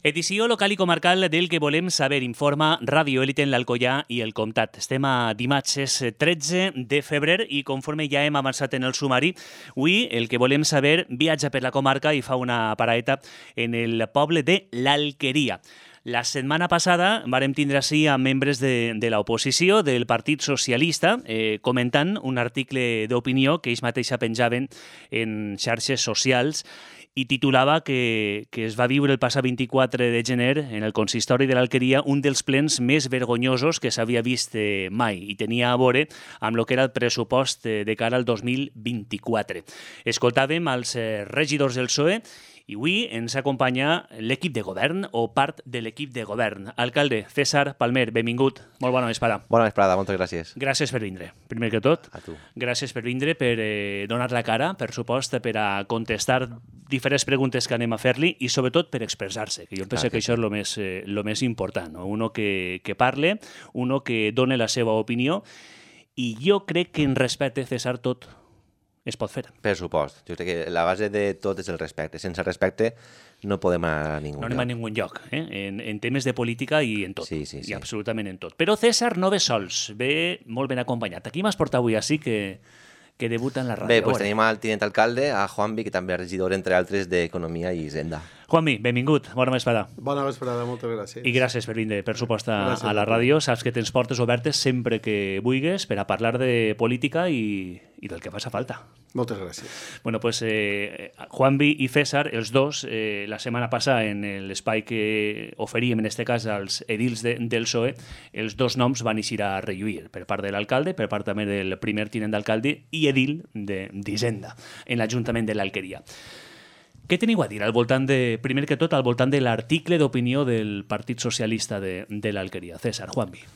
Edició local i comarcal del que volem saber informa Ràdio Élite en l'Alcoià i el Comtat. Estem a dimarts, és 13 de febrer i conforme ja hem avançat en el sumari, avui el que volem saber viatja per la comarca i fa una paraeta en el poble de l'Alqueria. La setmana passada vàrem tindre així a membres de l'oposició del Partit Socialista comentant un article d'opinió que ells mateixa penjaven en xarxes socials i titulava que es va viure el passat 24 de gener en el consistori de l'Alqueria un dels plens més vergonyosos que s'havia vist mai i tenia a veure amb el que era el pressupost de cara al 2024. Escoltàvem els regidors del PSOE i avui ens acompanya l'equip de govern o part de l'equip de govern. Alcalde César Palmer, benvingut. Molt bona vesprada. Bona vesprada, moltes gràcies. Gràcies per vindre, primer que tot. A tu. Gràcies per vindre, per donar la cara, per supost, per a contestar diferents preguntes que anem a fer-li i sobretot per expressar-se, que jo penso que això és el més important. No? Uno que parle, uno que done la seva opinió i jo crec que en respecte, César, tot es pot fer. Per supost. Jo crec que la base de tot és el respecte. Sense respecte no podem anar a ningú lloc. No anem a ningú lloc, en temes de política i en tot. Sí. I absolutament en tot. Però César no ve sols, ve molt ben acompanyat. Aquí m'has portat avui així que debuta en la ràdio. Bé, doncs tenim al tinent alcalde, a Juanvi, que també és regidor, entre altres, d'Economia i Hisenda. Juanvi, benvingut. Bona vesprada. Bona vesprada, moltes gràcies. I gràcies per vindre, per supost, a la ràdio. Saps que tens portes obertes sempre que vulguis per a parlar de política i del que faci falta. Moltes gràcies. Bueno, pues Juanvi i César, els dos, la setmana passada en l'espai que oferíem, en aquest cas, als edils del PSOE, els dos noms van eixir a relluir, per part de l'alcalde, per part també del primer tinent d'alcalde i edil d'Hisenda, en l'Ajuntament de l'Alqueria. Què teniu a dir al voltant primer que tot, al voltant de l'article d'opinió del Partit Socialista de l'Alqueria? César, Juanvi.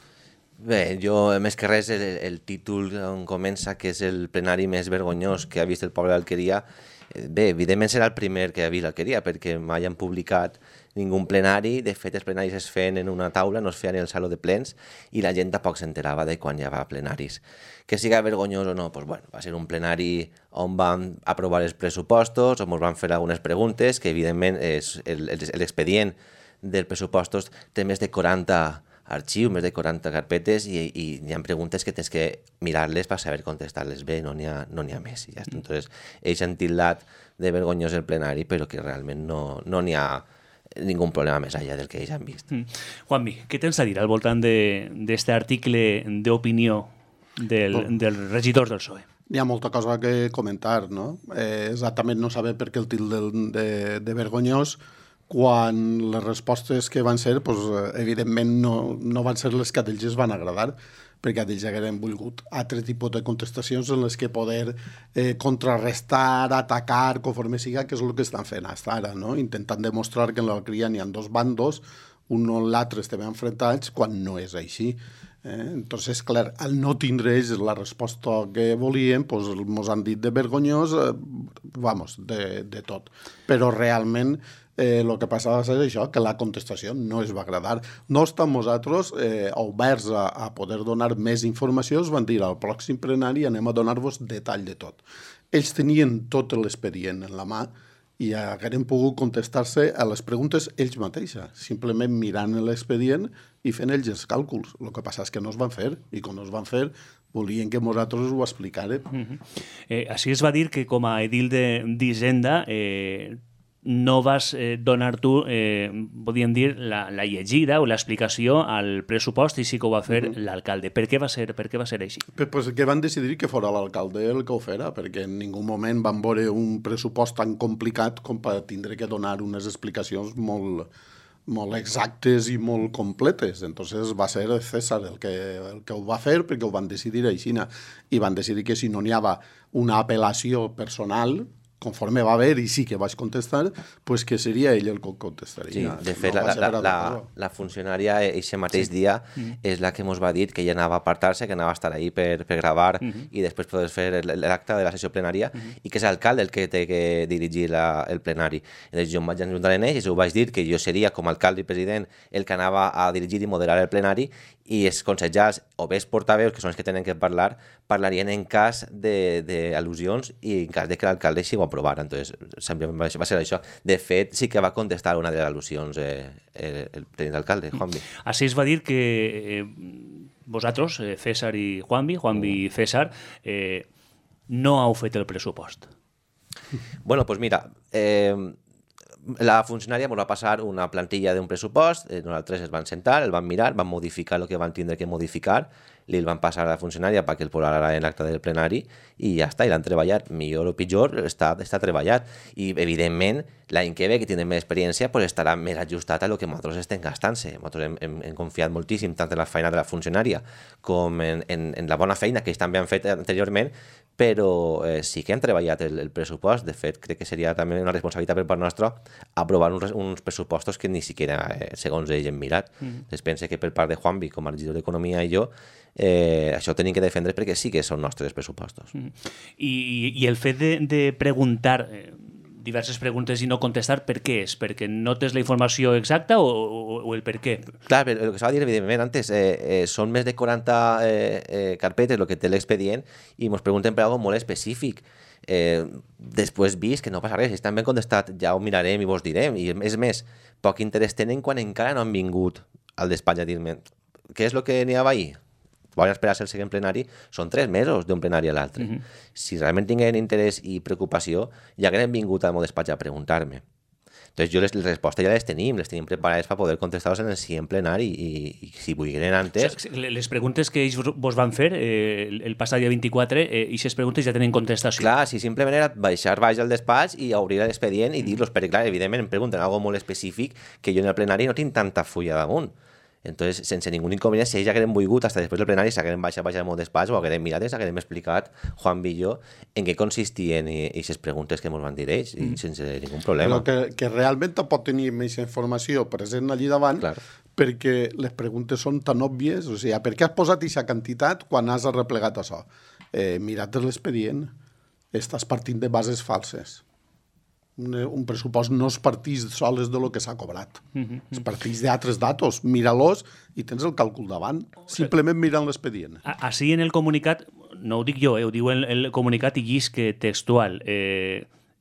Bé, jo, més que res, el títol on comença, que és el plenari més vergonyós que ha vist el poble d'Alqueria, bé, evidentment serà el primer que ha vist l'Alqueria, perquè mai han publicat ningú plenari. De fet, els plenaris es feien en una taula, no es feien en el saló de plens, i la gent tampoc s'enterava de quan hi havia plenaris. Que siga vergonyós o no, doncs, bueno, va ser un plenari on vam aprovar els pressupostos, on ens van fer algunes preguntes, que evidentment l'expedient dels pressupostos té més de 40 arxius, més de 40 carpetes i hi ha preguntes que tens que mirar-les per saber contestar-les bé, no n'hi ha més. Ja està. Entonces, ells han tildat de vergonyós el plenari, però que realment no n'hi ha ningú problema més allà del que ells han vist. Juanvi, què tens a dir al voltant d'aquest article d'opinió dels regidors del PSOE? Hi ha molta cosa que comentar, no? Exactament no saber per què el títol de vergonyós, quan les respostes que van ser, doncs, evidentment no van ser les que a ells es van agradar, perquè a ells hagueren volgut altre tipus de contestacions en les que poder contrarrestar, atacar, conforme siga, que és el que estan fent fins ara, no? Intentant demostrar que en l'Alqueria n'hi ha dos bandos, un o l'altre estem enfrontats, quan no és així. Entonces, clar, al no tindre ells la resposta que volien, doncs ens han dit de vergonyós, de tot. Però realment el que passava va ser això, que la contestació no es va agradar. No estem nosaltres oberts a poder donar més informació, es van dir al pròxim plenari anem a donar-vos detall de tot. Ells tenien tot l'expedient en la mà i hagueren pogut contestar-se a les preguntes ells mateixos, simplement mirant l'expedient i fent ells els càlculs. El que passa és que no es van fer, i quan no es van fer volien que nosaltres ho explicàrem. Així es va dir que com a edil d'Hisenda no vas donar tu, podríem dir, la llegida o l'explicació al pressupost i sí que ho va fer l'alcalde. Per què va ser així? Perquè van decidir que fora l'alcalde el que ho fera, perquè en ningú moment van veure un pressupost tan complicat com per tindre que donar unes explicacions molt exactes i molt completes. Entonces va ser César el que ho va fer, perquè ho van decidir així, i van decidir que si no n'hi havia una apel·lació personal, conforme va haver i sí que vaig contestar, pues que seria ell el que contestaria. Sí, de fet, la funcionària aquest mateix dia és la que ens va dir que ella anava a apartar-se, que anava a estar ahí per gravar i després poder fer l'acte de la sessió plenària i que és l'alcalde el que té que dirigir el plenari. Llavors jo em vaig ajuntar en ells i ho vaig dir que jo seria com a alcalde i president el que anava a dirigir i moderar el plenari i els consellers o bé els portaveus, que són els que tenen que parlar, parlarien en cas d'al·lusions i en cas de que l'alcalde així ho aprovar. Entonces, sempre va ser això. De fet, sí que va contestar una de les al·lusions el president d'alcalde, Juanvi. Així es va dir que vosaltres, César i Juanvi i César, no heu fet el pressupost. Bueno, pues mira, la funcionària ens va passar una plantilla d'un pressupost, nosaltres es van sentar, el van mirar, van modificar el que van tindre que modificar, li el van passar a la funcionària perquè el posara en l'acte del plenari i ja està, i l'han treballat. Millor o pitjor, està treballat. I, evidentment, l'any que ve, que tindrem més experiència, pues estarà més ajustat a lo que nosaltres estem gastant-se. Nosaltres hem confiat moltíssim tant en la feina de la funcionària com en la bona feina que ells també han fet anteriorment, però sí que hem treballat el pressupost. De fet, crec que seria també una responsabilitat per part nostra aprovar uns pressupostos que ni siquiera, segons ells, hem mirat. Es pensa que per part de Juanvi, com a regidor d'Economia i jo, això ho tenim que defendre perquè sí que són nostres pressupostos. I el fet de preguntar diverses preguntes i no contestar, per què és? Perquè no tens la informació exacta o el per què? Clar, però el que s'ha de dir, evidentment, antes, són més de 40 carpetes el que té l'expedient i ens pregunten per alguna molt específic. Després vist que no passa res, si estan ben contestat ja ho mirarem i vos direm, i és més, poc interès tenen quan encara no han vingut al despatx a dir-me què és el que n'hi havia ahir? Volen esperar-se el següent plenari, són 3 mesos d'un plenari a l'altre. Si realment tinguin interès i preocupació, ja hagueren vingut al meu despatx a preguntar-me. Entonces, les respostes ja les tenim preparades per poder contestar-los en el següent plenari i si vulguin antes... O sigui, les preguntes que ells vos van fer el passat dia 24, i aquestes preguntes ja tenen contestació. Clar, si simplement era baixar baix al despatx i obrir l'expedient i dir-los, perquè clar, evidentment em pregunten alguna molt específic que jo en el plenari no tinc tanta fulla damunt. Entonces, sense ningú inconvenient, si ells hagueren volgut, fins després del plenari, s'hagueren baixat al meu despatx o hagueren mirat, s'hagueren explicat, Juan i jo, en què consistien aquestes preguntes que ens van dir ells, i sense ningú problema. Però que realment pot tenir més informació present allí davant, Clar. perquè les preguntes són tan òbvies, o sigui, per què has posat aquesta quantitat quan has arreplegat això? Mirat l'expedient, estàs partint de bases falses. Un pressupost no es partís soles de lo que s'ha cobrat. Es partís d'altres datos. Mira-los i tens el càlcul davant. Simplement mirant l'expedient. Així en el comunicat, no ho dic jo, ho diu el comunicat i llisc textual.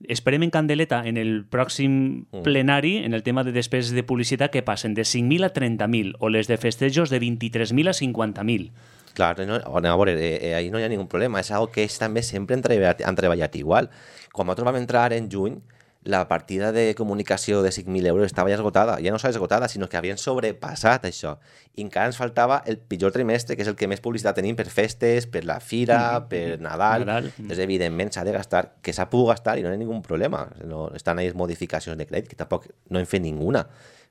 Esperem en candeleta en el pròxim plenari, en el tema de despeses de publicitat, que passen de 5.000 a 30.000 o les de festejos de 23.000 a 50.000. Clar, a veure, ahí no hi ha ningú problema. És algo que ells també sempre han treballat igual. Quan nosaltres vam entrar en juny, la partida de comunicació de 5.000 euros estava ja esgotada. Ja no estava esgotada, sinó que havien sobrepassat això. I encara ens faltava el pitjor trimestre, que és el que més publicitat tenim per festes, per la fira, per Nadal. Doncs, evidentment, s'ha de gastar, que s'ha pogut gastar i no hi ha ningú problema. No, estan ahí modificacions de crèdit, que tampoc no hem fet ninguna,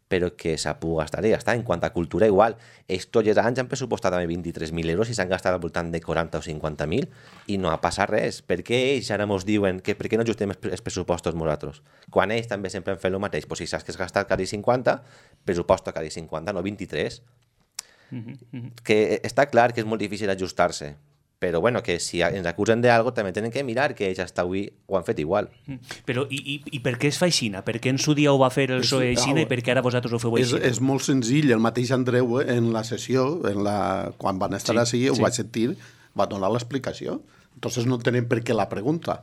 però que s'ha pogut gastar i ja està. En quant a cultura, igual. Ells tots els anys han pressupostat també 23.000 euros i s'han gastat al voltant de 40 o 50.000 i no ha passat res. Per què ells ara ens diuen que per què no ajustem els pressupostos nosaltres? Quan ells també sempre han fet el mateix. Pues si saps que has gastat cada 50, pressuposto cada 50, no 23. Que està clar que és molt difícil ajustar-se. Però bueno, que si ens acusen d'algo també tenen que mirar que ells hasta avui ho han fet igual. Però i per què es fa aixina? Per què en su dia ho va fer el PSOE aixina i per què ara vosaltres ho feu aixina? És molt senzill. El mateix Andreu, en la sessió, quan van estar així, ho va sentir, va donar l'explicació. Entonces no entenem per què la pregunta.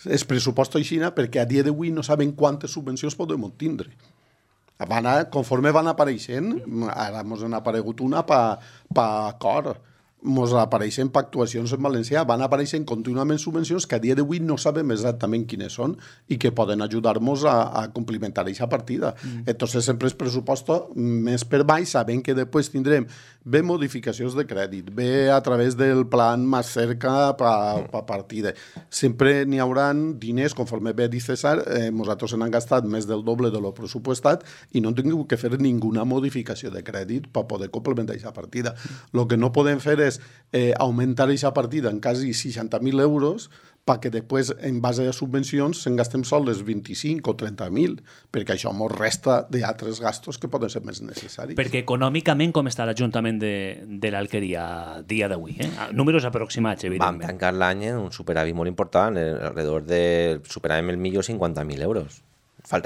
Es pressuposta aixina perquè a dia d'avui no saben quantes subvencions podem tindre. Conforme van apareixent, ara ens han aparegut una per acord, ens apareixen per actuacions en valencià, van apareixent contínuament subvencions que a dia d'avui no sabem exactament quines són i que poden ajudar-nos a complementar aquesta partida. Entonces sempre es pressuposta més per baix, sabent que després tindrem bé modificacions de crèdit, bé a través del plan més cerca per partida. Sempre n'hi haurà diners, conforme bé dit César, nosaltres han gastat més del doble de lo pressupostat i no hem tingut que fer ninguna modificació de crèdit per poder complementar aquesta partida. El que no podem fer és augmentar aquesta partida en quasi 60.000 euros perquè després, en base a subvencions, se'n gastem sols 25 o 30.000, perquè això ens resta d'altres gastos que poden ser més necessaris. Perquè econòmicament com està l'Ajuntament de l'Alqueria a dia d'avui? Números aproximats, evidentment. Vam tancar l'any en un superàvit molt important, alrededor de superàvem el millor 50.000 euros.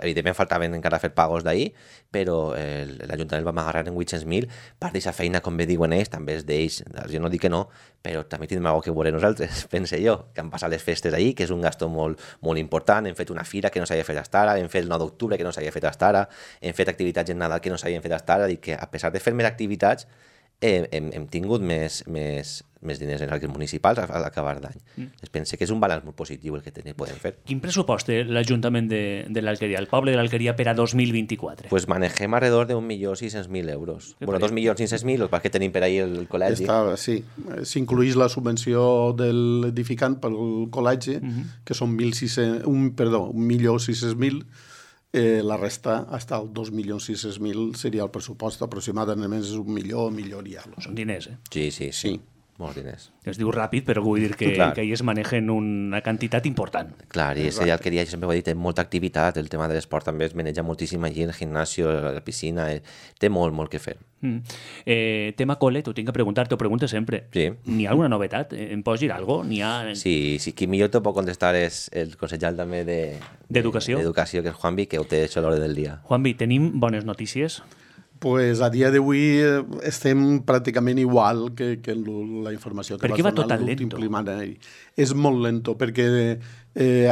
evidentment faltaven encara fer pagos d'ahir, però l'Ajuntament va agarrar en 800.000 per d'aquesta feina, com bé diuen ells, també és d'ells, jo no dic que no, però també tindrem alguna que veure nosaltres, pense jo, que han passat les festes ahir, que és un gasto molt, molt important, hem fet una fira que no s'havia fet fins ara, hem fet el 9 d'octubre que no s'havia fet fins ara, hem fet activitats en Nadal que no s'havien fet fins ara, i que a pesar de fer més activitats, hem tingut més diners en els municipals a l'acabar d'any. Es pensa que és un balanç molt positiu el que podem fer. Quin pressupost té l'Ajuntament de l'Alqueria, el poble de l'Alqueria, per a 2024? Pues manegem alrededor de 1.600.000 euros. Bueno, 2.500.000, el que tenim per ahir el col·legi. Sí, s'incluïx la subvenció de l'edificant pel col·legi, que són 1.600.000, la resta, hasta el 2.600.000 seria el pressupost, aproximadament és 1 milió i alguna. Són diners, eh? Sí. Molts diners. Es diu ràpid, però vull dir que ahir es manegen una quantitat important. Clar, i ja el que jo sempre ho he dit, té molta activitat, el tema de l'esport també es maneja moltíssim allí, el gimnasio, la piscina, té molt que fer. Tema col·le, t'ho tinc que preguntar, t'ho pregunto sempre. Sí. N'hi ha alguna novetat? Em pots dir alguna cosa? Sí, qui millor t'ho pot contestar és el consellal també d'Educació, que és Juanvi, que ho té això a l'hora del dia. Juanvi, tenim bones notícies? Pues a dia d'avui estem pràcticament igual que la informació que va donar l'últim plenari. És molt lento, perquè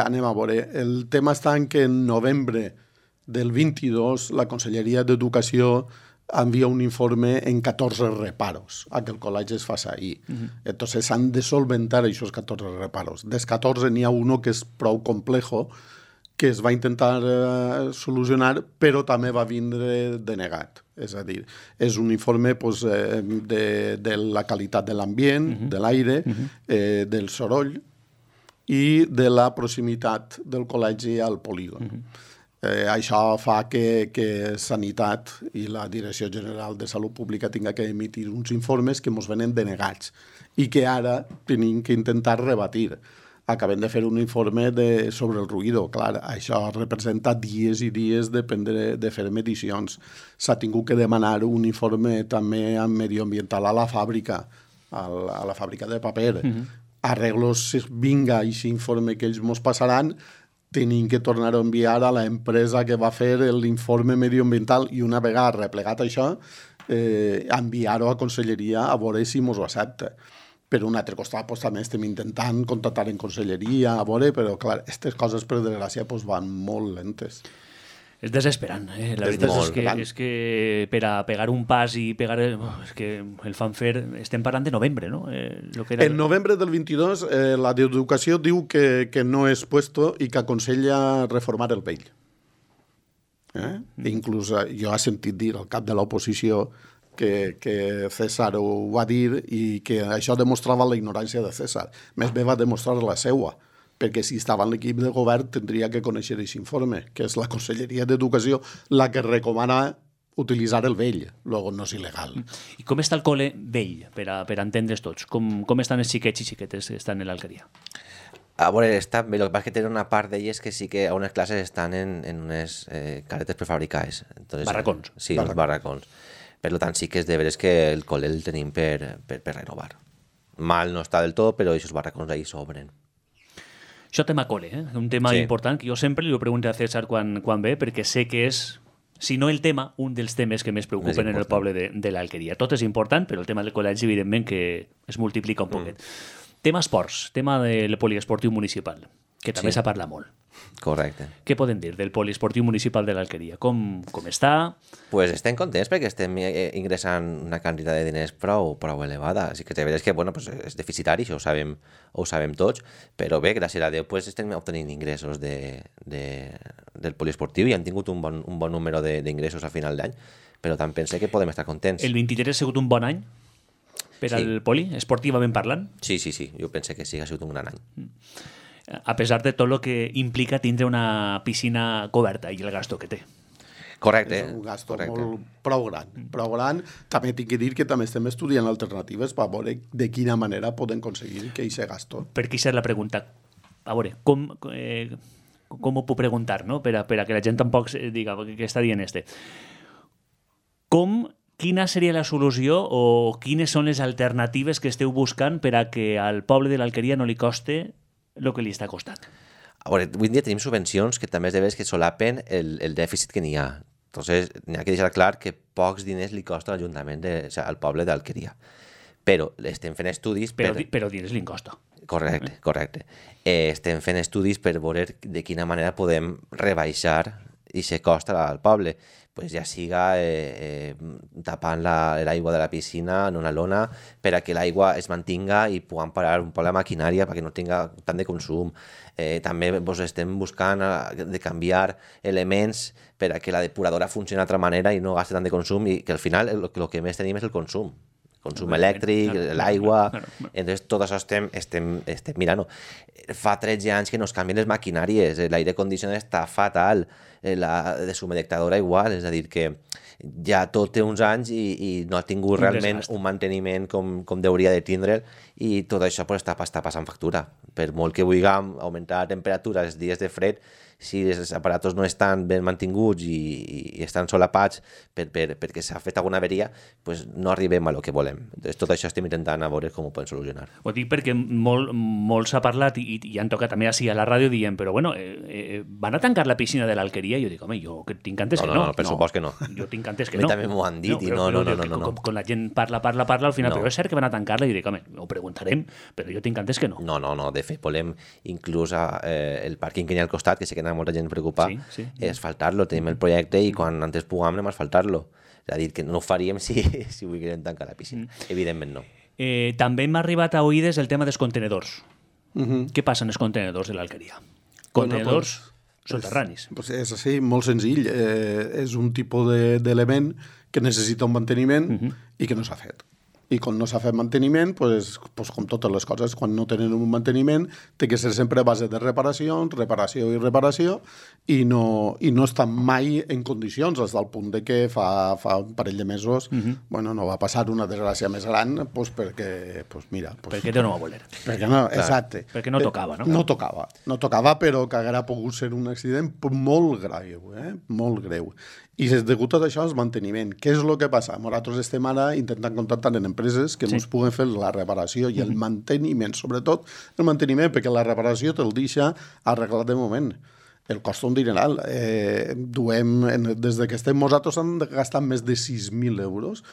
anem a veure, el tema està en que en novembre del 22 la Conselleria d'Educació envia un informe en 14 reparos a que el col·legi es faci ahir. Entonces s'han de solventar aquests 14 reparos. Dels 14 n'hi ha uno que és prou complejo, que es va intentar solucionar, però també va vindre denegat. És a dir, és un informe de la qualitat de l'ambient, de l'aire, del soroll i de la proximitat del col·legi al polígon. Això fa que Sanitat i la Direcció General de Salut Pública tinga que emitir uns informes que ens venen denegats i que ara tenim que intentar rebatir. Acabem de fer un informe sobre el ruïdo. Clar, això representa dies i dies de fer medicions. S'ha tingut que demanar un informe també medioambiental a la fàbrica, a la fàbrica de paper. Arreglos, vinga, aquest informe que ells ens passaran, tenim que tornar a enviar a l'empresa que va fer l'informe medioambiental i una vegada replegat això, enviar-ho a Conselleria a veure si ens ho accepta. Per un altre costat, també estem intentant contactar en conselleria, a veure, però clar, aquestes coses, per desgràcia, van molt lentes. És desesperant, eh? La veritat és que per a pegar un pas i pegar... És que el fan fer... Estem parlant de novembre, no? En novembre del 22, la d'Educació diu que no és puesto i que aconsella reformar el vell. Inclús jo he sentit dir al cap de l'oposició que César ho va dir i que això demostrava la ignorància de César. Més bé va demostrar la seua, perquè si estava en l'equip de govern tindria que conèixer aquest informe, que és la Conselleria d'Educació la que recomana utilitzar el vell, luego no és il·legal. I com està el col·le vell, per a entendre's tots? Com estan els xiquets i xiquetes que estan en l'Alqueria? A veure, està bé, el que passa és que tenen una part d'elles que sí que a unes classes estan en unes caretes prefabricades. Barracons. Sí, uns barracons. Per tant, sí que és de veres que el col·le el tenim per renovar. Mal no està del tot, però aquests barracons ahí s'obren. Això tema col·le, un tema important que jo sempre li ho pregunto a César quan ve, perquè sé que és, si no el tema, un dels temes que més preocupen en el poble de l'Alqueria. Tot és important, però el tema del col·legi, evidentment, que es multiplica un poquet. Tema esports, tema del poliesportiu municipal, que també s'ha parlat molt. Correcte. Què podem dir del poliesportiu municipal de l'Alqueria? Com està? Pues estem contents perquè estem ingressant una quantitat de diners prou elevada. Així que de veres que és deficitari, això ho sabem tots, però bé, gràcies a Déu, estem obtenint ingressos del poliesportiu i han tingut un bon número d'ingressos a final d'any, però tant pense que podem estar contents. El 23 ha sigut un bon any per al poli, esportivament parlant? Sí, jo pense que sí, ha sigut un gran any. A pesar de tot el que implica tindre una piscina coberta i el gasto que té. Correcte. És un gasto molt prou gran. També tinc que dir que també estem estudiant alternatives per veure de quina manera podem aconseguir que aquest gasto. Per què és la pregunta? A veure, com ho puc preguntar, no? Per a que la gent tampoc diga què està dient este. Quina seria la solució o quines són les alternatives que esteu buscant per a que al poble de l'Alqueria no li coste el que li està costant? A veure, avui en dia tenim subvencions que també és de veres que solapen el dèficit que n'hi ha. Entonces, n'hi ha que deixar clar que pocs diners li costa a l'Ajuntament, al poble d'Alqueria. Però estem fent estudis... Però diners li costa. Correcte. Estem fent estudis per veure de quina manera podem rebaixar aquest cost al poble. Pues ja siga tapant l'aigua de la piscina en una lona per a que l'aigua es mantinga i puguem parar un poc la maquinària perquè no tinga tant de consum. També estem buscant de canviar elements per a que la depuradora funcioni d'altra manera i no gaste tant de consum i que al final el que més tenim és el consum elèctric, l'aigua... Entonces, tot això estem mirant. Fa 13 anys que no es canvien les maquinàries, l'aire condicionat està fatal, la deshumidificadora igual, és a dir, que ja tot té uns anys i no ha tingut realment un manteniment com hauria de tindre i tot això està passant factura. Per molt que vulguem augmentar la temperatura els dies de fred, si els aparatos no estan ben mantinguts i estan solapats perquè s'ha fet alguna averia, pues no arribem a lo que volem. Entonces, tot això estem intentant a veure com ho podem solucionar. Ho dic perquè molt s'ha parlat i han tocat també així a la ràdio dient, però bueno, van a tancar la piscina de l'Alqueria? I jo dic, home, jo tinc antes que no. No, per supost que no. Jo tinc antes que no. A mi també m'ho han dit i no. Quan la gent parla, al final, però és cert que van a tancar-la i dic, home, ho preguntarem, però jo tinc antes que no. No, de fet, volem inclús el pàrquing que hi ha al costat, que sé que n'hi ha molta gent preocupada, asfaltar-lo, tenim el projecte i quan antes puguem anem a asfaltar-lo. És a dir, que no ho faríem si volguérem tancar la piscina. Evidentment no. També m'ha arribat a oïdes el tema dels contenedors. Què passa en els contenedors de l'Alqueria? Contenedors soterranis. És així, molt senzill. És un tipus d'element que necessita un manteniment i que no s'ha fet. I quan no s'ha fet manteniment, pues, com totes les coses, quan no tenen un manteniment, té que ser sempre a base de reparació i no està mai en condicions, fins al punt de que fa un parell de mesos no va passar una desgràcia més gran perquè, mira... Perquè no va voler. Perquè no, exacte. Perquè no tocava, no? No tocava, però que haguera pogut ser un accident molt greu, molt greu. I és degut a això el manteniment. Què és el que passa? Nosaltres estem ara intentant contactar en empreses que ens puguen fer la reparació i el manteniment, sobretot el manteniment, perquè la reparació te'l deixa arreglat de moment. El costa un dineral. Des que estem nosaltres han gastat més de 6.000 euros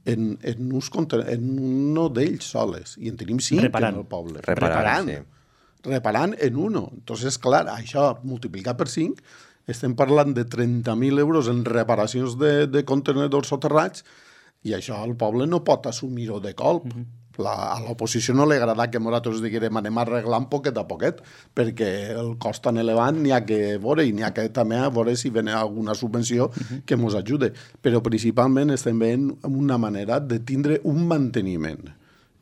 en uno d'ells soles. I en tenim 5 en el poble. Reparant en uno. Entonces, clar, això multiplicat per 5... Estem parlant de 30.000 euros en reparacions de contenedors soterrats i això el poble no pot assumir-ho de colp. A l'oposició no li agrada que nosaltres diguem anem arreglant poquet a poquet perquè el cost tan elevat n'hi ha que veure i n'hi ha que també a veure si ven alguna subvenció que ens ajude. Però principalment estem veient una manera de tindre un manteniment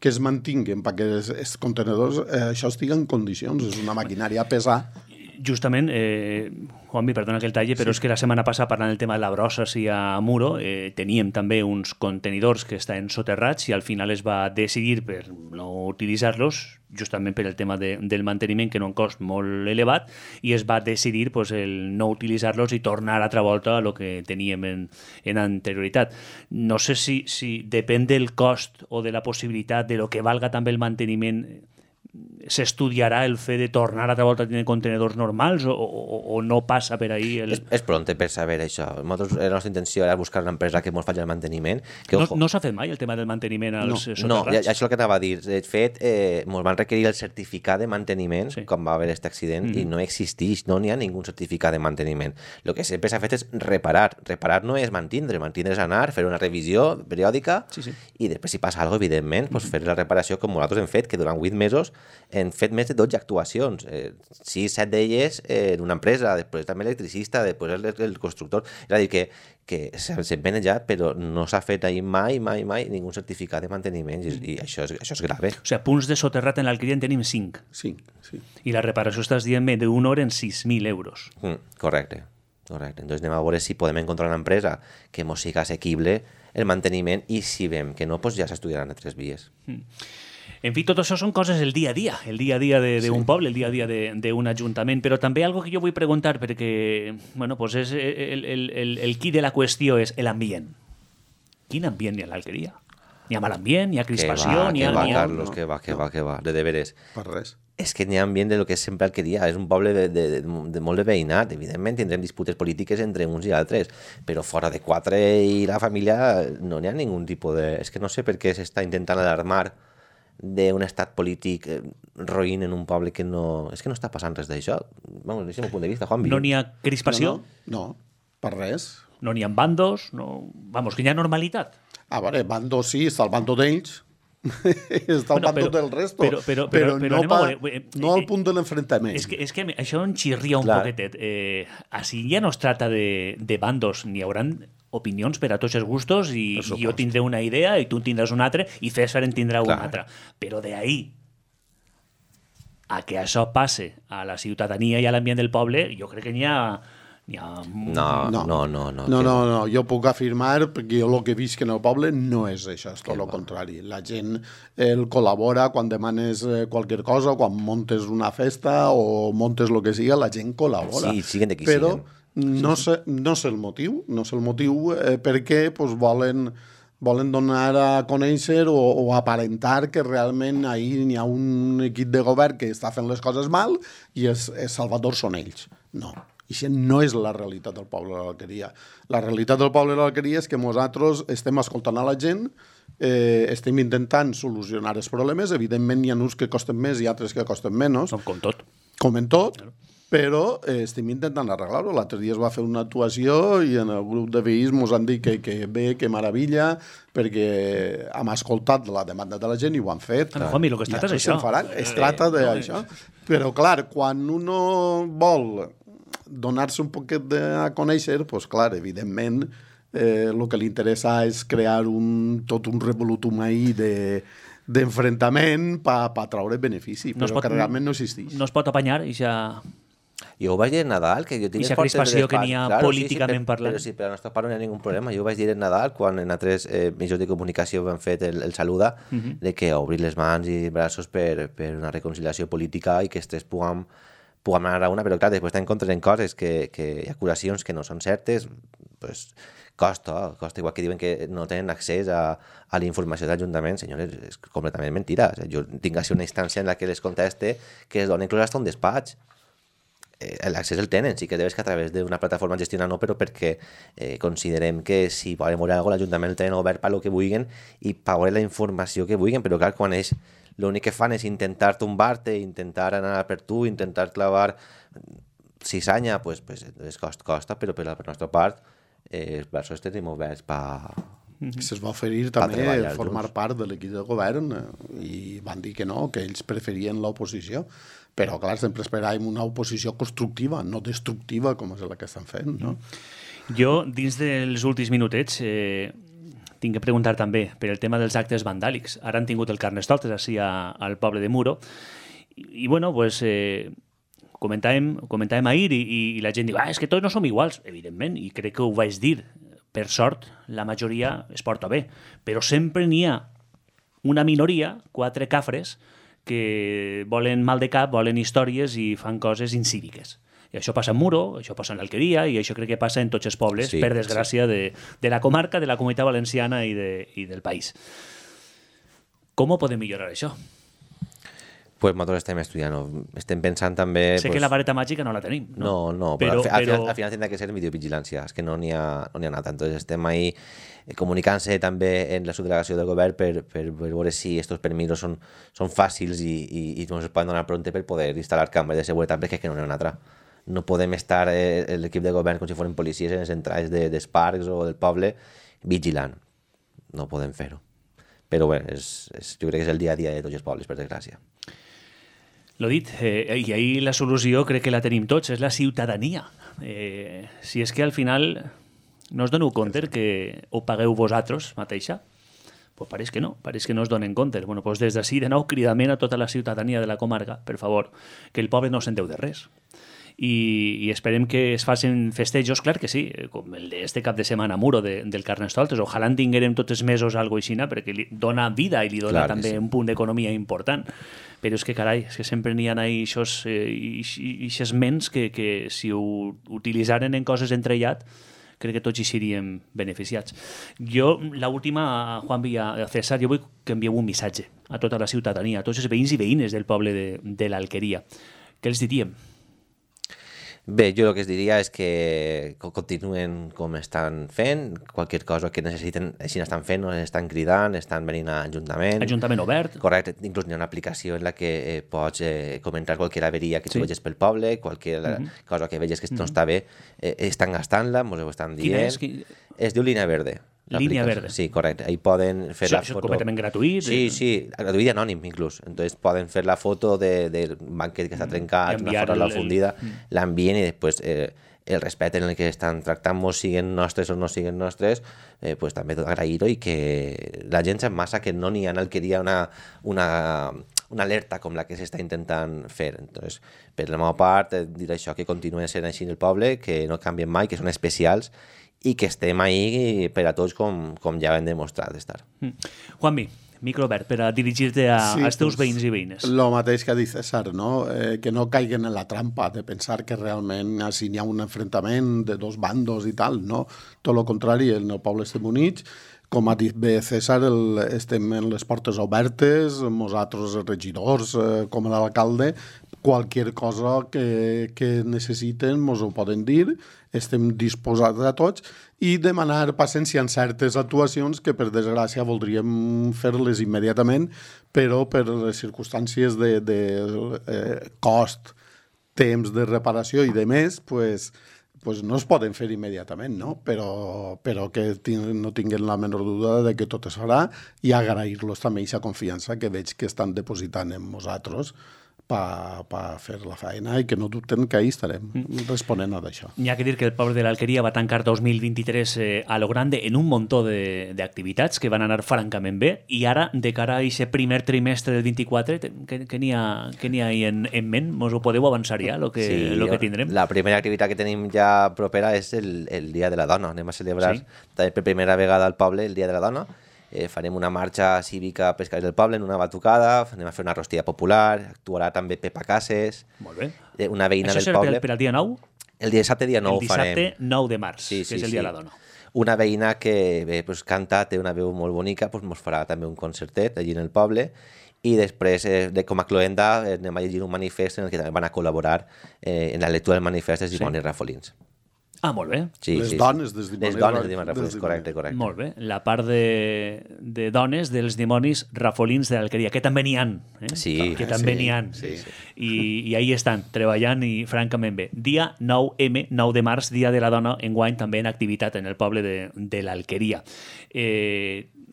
que es mantinguen perquè els contenedors això estigui en condicions. És una maquinària pesada. Justament, Juanmi, perdona que el talle, però és que la setmana passada, parlant del tema de la brossa i a Muro, teníem també uns contenidors que estaven soterrats i al final es va decidir per no utilitzar-los, justament per el tema del manteniment, que era un cost molt elevat, i es va decidir el no utilitzar-los i tornar altra volta a lo que teníem en anterioritat. No sé si depèn del cost o de la possibilitat de lo que valga també el manteniment, s'estudiarà el fet de tornar altra volta a tenir contenedors normals o no passa per ahí? És pronte per saber això. La nostra intenció era buscar una empresa que ens faci el manteniment. No s'ha fet mai el tema del manteniment als soterrats? No, això és el que anava a dir. De fet, ens van requerir el certificat de manteniment quan va haver aquest accident i no existeix, no n'hi ha ningú certificat de manteniment. El que sempre s'ha fet és reparar. Reparar no és mantindre és anar, fer una revisió periòdica i després si passa alguna cosa, evidentment, fer la reparació com nosaltres hem fet, que durant 8 mesos hem fet més de 12 actuacions, 6-7 d'elles en una empresa, després també l'electricista, després el constructor. És a dir, que s'ha manejat, però no s'ha fet mai ningú certificat de manteniment i això és grave. O sigui, punts de soterrat en l'Alqueria en tenim 5. Sí. I la reparació estàs dient d'una hora en 6.000 euros. Correcte. Entonces anem a veure si podem encontrar una empresa que ens sigui assequible el manteniment i si veiem que no, ja s'estudiaran altres vies. En fi, tot això són coses del dia a dia d'un poble, el dia a dia d'un ajuntament, però també algo que jo vull preguntar, perquè és el qui de la qüestió és l'ambient. Quin ambient hi ha a l'Alqueria? N'hi ha mal ambient, n'hi ha crispació, que va, Carlos, que va, de deberes. Per res. És que n'hi ha ambient de lo que és sempre Alqueria, és un poble de molt de veïnat, evidentment tindrem disputes polítiques entre uns i altres, però fora de quatre i la família no n'hi ha ningú tipus de... És que no sé per què s'està intentant alarmar d'un estat polític roïn en un poble que no... És que no està passant res d'això. Vamos, des del meu punt de vista, Juanvi. No n'hi ha crispació, No, per res. no n'hi ha bandos, no... Vamos, que hi ha normalitat. A veure, bando sí, està el bando d'ells, està el bando del resto, però no al punt de l'enfrontament. És que això em xirria un poquetet. Així ja no es tracta de bandos, n'hi haurà opinions per a tots els gustos i jo tindré una idea i tu en tindràs una altra i César en tindrà una altra. Però d'ahí a que això passe a la ciutadania i a l'ambient del poble, jo crec que n'hi ha... No, jo puc afirmar, perquè jo el que visc en el poble no és això, és tot el contrari. La gent el col·labora quan demanes qualque cosa, quan montes una festa o montes el que siga, la gent col·labora. Sí, siguen de qui però siguen. No sé el motiu, perquè pues, volen donar a conèixer o aparentar que realment ahir n'hi ha un equip de govern que està fent les coses mal i els salvadors són ells. No. I això no és la realitat del poble de l'Alqueria. La realitat del poble de l'Alqueria és que nosaltres estem escoltant a la gent, estem intentant solucionar els problemes, evidentment hi ha uns que costen més i altres que costen menys. Com tot. Com en tot, però estem intentant arreglar-ho. L'altre dia es va fer una actuació i en el grup de veïns ens han dit que bé, que meravella, perquè hem escoltat la demanda de la gent i ho han fet. Juanmi, el que es tracta és això. Es tracta d'això. Però, clar, quan uno vol donar-se un poquet a conèixer, doncs clar, evidentment el que li interessa és crear tot un revolutum ahí d'enfrontament per traure benefici, però que realment no existeix. No es pot apanyar i ja... Jo ho vaig dir en Nadal, que jo tinc aquesta crispació que n'hi ha políticament parlant. Però sí, per la nostra part no hi ha ningun problema. Jo ho vaig dir en Nadal, quan en altres mitjans de comunicació han fet el saluda, de que obrir les mans i braços per una reconciliació política i que estés puguem anar a una, però clar, després t'encontres en coses que hi ha acusacions que no són certes, pues, costa, igual que diuen que no tenen accés a la informació de l'Ajuntament, senyores, és completament mentira. O sigui, jo tinc així una instància en la que les conteste que es donen inclús fins a un despatx. L'accés el tenen, sí que debes que a través d'una plataforma gestionar no, però perquè considerem que si volen veure alguna cosa l'Ajuntament el tenen obert per lo que vulguin i per veure la informació que vulguin, però clar, quan ells l'únic que fan és intentar tombar-te, intentar anar per tu, intentar clavar cisanya, pues costa, però per la nostra part els braços tenim oberts per... Se'ls va oferir també formar part de l'equip de govern i van dir que no, que ells preferien l'oposició, però clar, sempre esperàvem una oposició constructiva, no destructiva com és la que estan fent, no? Jo, dins dels últims minutets, tinc que preguntar també per el tema dels actes vandàlics. Ara han tingut el Carnestoltes així al poble de Muro i bueno, pues, comentàvem ahir i la gent diu, és que tots no som iguals, evidentment, i crec que ho vaig dir. Per sort, la majoria es porta bé, però sempre n'hi ha una minoria, 4 cafres, que volen mal de cap, volen històries i fan coses incíviques. I això passa en Muro, això passa en l'Alqueria i això crec que passa en tots els pobles, sí, per desgràcia, sí, de la comarca, de la Comunitat Valenciana i del país. Com ho podem millorar això? Pues nosaltres estem estudiant, estem pensant també... Sé que la vareta màgica no la tenim, no? No, però al final tindrà que ser videovigilància, és que no n'hi ha anat. Entonces estem ahí comunicant-se també en la subdelegació del govern per veure si aquests permisos són fàcils i ens poden donar pronte per poder instal·lar càmeres de seguretat, perquè és que no n'hi ha una altra. No podem estar l'equip de govern com si foren policies en les entrades dels parcs o del poble vigilant. No podem fer-ho. Però bé, jo crec que és el dia a dia de tots els pobles, per desgràcia. L'ho dit, i ahir la solució crec que la tenim tots, és la ciutadania. Si és que al final no us doneu compte que ho pagueu vosaltres mateixa, pues pareix que no us donen compte. Bueno, pues des d'ací, de nou, cridament a tota la ciutadania de la comarca, per favor, que el poble no s'enteu de res. I esperem que es facin festejos, clar que sí, com el d'este cap de setmana a Muro del Carnestoltes. Ojalà en tinguérem tots els mesos algo així, perquè li dona vida i li dona també un punt d'economia important. Però és que, carai, és que sempre n'hi ha aquestes ments que si ho utilitzaren en coses entrellat, crec que tots hi seríem beneficiats. Jo, l'última, Juan Villa, César, jo vull que envieu un missatge a tota la ciutadania, a tots els veïns i veïnes del poble de l'Alqueria. Què els diríem? Bé, jo el que es diria és que continuen com estan fent, qualsevol cosa que necessiten, així estan fent, estan cridant, estan venint a Ajuntament. Ajuntament obert. Correcte, inclús hi ha una aplicació en la que pots comentar qualsevol averia que tu veges pel poble, qualsevol cosa que veges que no està bé, estan gastant-la, ens ho estan dient. Quina és? Es diu Línia Verde. Línia Verde. Sí, correcte. Ahí poden fer la foto. Això és completament gratuït. Sí, gratuït i anònim, inclús. Entonces poden fer la foto del banquet que està trencat, una foto a la fundida, l'envien i després el respecte en el que estan tractant-nos, siguen nostres o no siguen nostres, pues també tot agrair-ho i que la gent sap massa que no n'hi ha en Alqueria una alerta com la que s'està intentant fer. Entonces, per la meva part, dir això, que continuen sent així en el poble, que no canvien mai, que són especials i que estem ahí per a tots com ja hem demostrat d'estar. Juanmi, micro obert per a dirigir-te als teus veïns i veïnes. Lo mateix que ha dit César, no? Que no caiguen en la trampa de pensar que realment si hi ha un enfrontament de dos bandos i tal, no? Tot el contrari, en el poble estem units. Com ha dit bé César, estem en les portes obertes, nosaltres els regidors, com l'alcalde, qualsevol cosa que necessiten ens ho poden dir, estem disposats a tots i demanar paciència en certes actuacions que per desgràcia voldríem fer-les immediatament, però per les circumstàncies de cost, temps de reparació i de més, pues no es poden fer immediatament, no? Però que no tinguin la menor duda de que tot es farà i agrair-los també aquesta confiança que veig que estan depositant en nosaltres per fer la feina i que no dubten que ahí estarem responent a d'això. N'hi ha que dir que el poble de l'Alqueria va tancar 2023 a lo grande en un muntó d'activitats que van anar francament bé i ara, de cara a aquest primer trimestre del 24, què n'hi ha ahí en ment? Mos ho podeu avançar ja, lo que tindrem? La primera activitat que tenim ja propera és el Dia de la Dona. Anem a celebrar també per primera vegada al poble el Dia de la Dona. Farem una marxa cívica a Pescadors del Poble en una batucada, anem a fer una rostilla popular, actuarà també Pepa Cases, molt bé. Una veïna del poble. Això serà per al dia 9? El dissabte dia 9 ho farem. El dissabte 9 de març, que és el Dia de la Dona. Una veïna que canta, té una veu molt bonica, ens farà també un concertet allí en el poble i després, com a cloenda, anem a llegir un manifest en el que també van a col·laborar en la lectura del manifest dels dimonis rafolins. Ah, molt bé. Les dones dels dimonis. Les dones dels dimonis rafolins, correcte. Molt bé. La part de dones dels dimonis rafolins de l'Alqueria, que també n'hi ha. Sí. Que també n'hi ha. I ahí estan, treballant i francament bé. Dia 9M, 9 de març, Dia de la Dona, enguany també en activitat en el poble de l'Alqueria.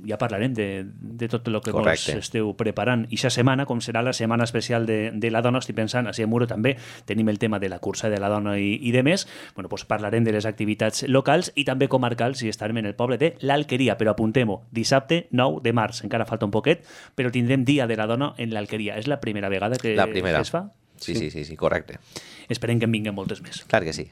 Ja parlarem de tot el que vos esteu preparant. I aquesta setmana, com serà la setmana especial de la dona, estic pensant, a Muro també tenim el tema de la cursa de la dona i de més, doncs parlarem de les activitats locals i també comarcals i estarem en el poble de l'Alqueria, però apuntem-ho, dissabte 9 de març, encara falta un poquet, però tindrem Dia de la Dona en l'Alqueria. És la primera vegada que es fa? Sí, correcte. Esperem que en vinguen moltes més. Clar que sí.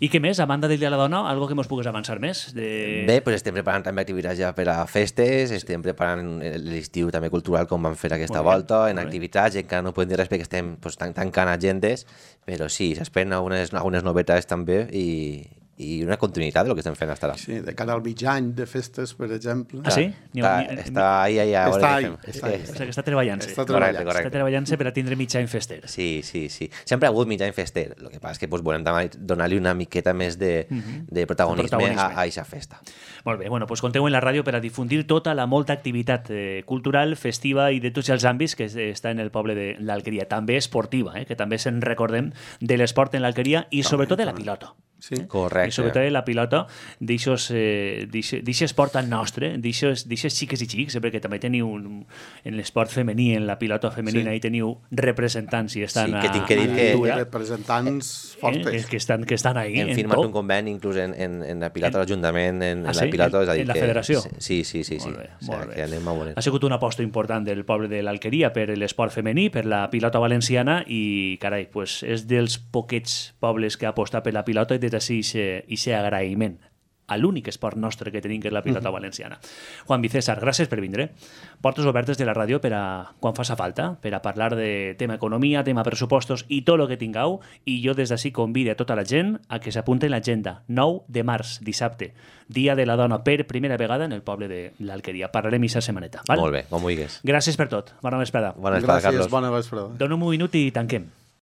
I què més? A banda del Dia de la Dona, algo que mos pugues avançar més? Bé, doncs estem preparant també activitats ja per a festes, estem preparant l'estiu també cultural com vam fer aquesta volta, en activitats, encara no podem dir res perquè estem tancant agendes, però sí, s'esperen algunes novetats també i una continuïtat del que estem fent fins ara. Sí, de cara al mig any de festes, per exemple. Ah, sí? Està ahí. Està treballant-se. Està treballant-se per a tindre mig any fester. Sí. Sempre ha hagut mig any fester. El que passa és que volem donar-li una miqueta més de protagonisme a aquesta festa. Molt bé, doncs compteu en la ràdio per a difundir tota la molta activitat cultural, festiva i de tots els àmbits que està en el poble de l'Alqueria. També esportiva, que també se'n recordem de l'esport en l'Alqueria i sobretot de la pilota. Sí, correcte. I sobretot la pilota d'això esport tan nostre, d'això xiques i xics, perquè també teniu en l'esport femení, en la pilota femenina, hi teniu representants i estan que tinc que dir que representants fortes que estan ahí. Hem firmat un conveni inclús en la pilota de l'Ajuntament, en la pilota, és a dir, en la federació. Sí. Molt bé. Anem a veure. Ha sigut una aposta important del poble de l'Alqueria per l'esport femení, per la pilota valenciana i, carai, és dels poquets pobles que ha apostat per la pilota i des d'ací i ser agraïment a l'únic esport nostre que tenim, que és la pilota valenciana. Juan Vicésar, gràcies per vindre. Portes obertes de la ràdio per a quan faça falta, per a parlar de tema economia, tema pressupostos i tot el que tingueu, i jo des d'ací convido a tota la gent a que s'apunti en l'agenda. 9 de març, dissabte, Dia de la Dona, per primera vegada en el poble de l'Alqueria. Parlarem aquesta setmaneta. Val? Molt bé, com vulguis. Gràcies per tot. Bona vesprada. Bona vesprada, Gràcies, Carlos. bona vesprada. Dono un minut i tanquem.